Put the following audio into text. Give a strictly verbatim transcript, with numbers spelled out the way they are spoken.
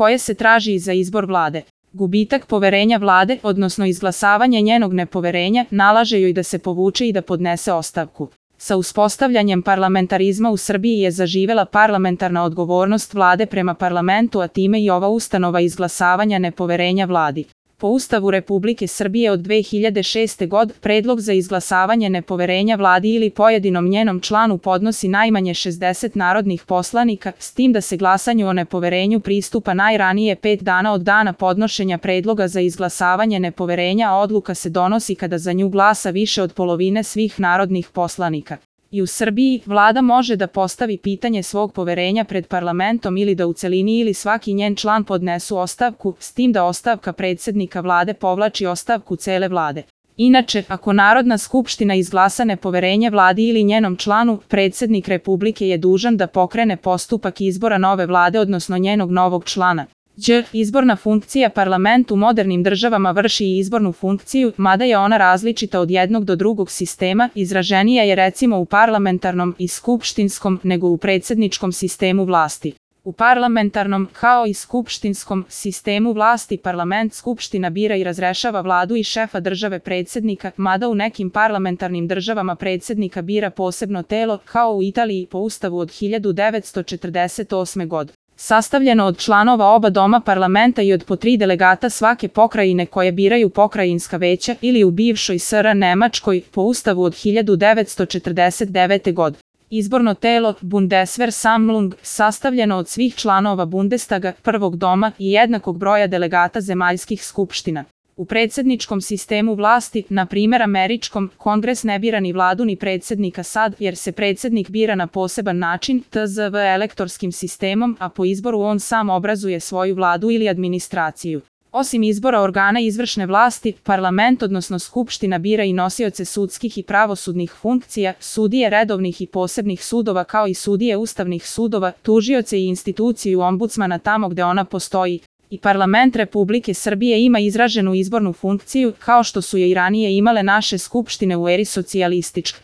koje se traži za izbor vlade. Gubitak poverenja vlade, odnosno izglasavanje njenog nepoverenja, nalaže joj da se povuče i da podnese ostavku. Sa uspostavljanjem parlamentarizma u Srbiji je zaživela parlamentarna odgovornost vlade prema parlamentu, a time i ova ustanova izglasavanja nepoverenja vladi. Po Ustavu Republike Srbije od dve hiljade šeste. godine predlog za izglasavanje nepoverenja vladi ili pojedinom njenom članu podnosi najmanje šezdeset narodnih poslanika, s tim da se glasanju o nepoverenju pristupa najranije pet dana od dana podnošenja predloga za izglasavanje nepoverenja, a odluka se donosi kada za nju glasa više od polovine svih narodnih poslanika. I u Srbiji, vlada može da postavi pitanje svog poverenja pred parlamentom ili da u celini ili svaki njen član podnesu ostavku, s tim da ostavka predsednika vlade povlači ostavku cele vlade. Inače, ako Narodna skupština izglasa nepoverenje vladi ili njenom članu, predsednik Republike je dužan da pokrene postupak izbora nove vlade, odnosno njenog novog člana. Đ. Izborna funkcija. Parlament u modernim državama vrši i izbornu funkciju, mada je ona različita od jednog do drugog sistema, izraženija je recimo u parlamentarnom i skupštinskom nego u predsedničkom sistemu vlasti. U parlamentarnom, kao i skupštinskom sistemu vlasti, parlament skupština bira i razrešava vladu i šefa države predsednika, mada u nekim parlamentarnim državama predsednika bira posebno telo, kao u Italiji po Ustavu od hiljadu devetsto četrdeset osme. godine. Sastavljeno od članova oba doma parlamenta i od po tri delegata svake pokrajine koje biraju pokrajinska veća, ili u bivšoj S R Nemačkoj po Ustavu od hiljadu devetsto četrdeset devete. godine. Izborno telo, Bundesversammlung, sastavljeno od svih članova Bundestaga, prvog doma i jednakog broja delegata zemaljskih skupština. U predsjedničkom sistemu vlasti, na primjer američkom, kongres ne bira ni vladu ni predsjednika sad, jer se predsjednik bira na poseban način, T Z V elektorskim sistemom, a po izboru on sam obrazuje svoju vladu ili administraciju. Osim izbora organa izvršne vlasti, parlament odnosno skupština bira i nosioce sudskih i pravosudnih funkcija, sudije redovnih i posebnih sudova kao i sudije ustavnih sudova, tužioce i instituciju ombudsmana tamo gde ona postoji. I parlament Republike Srbije ima izraženu izbornu funkciju, kao što su je i ranije imale naše skupštine u eri socijalističke.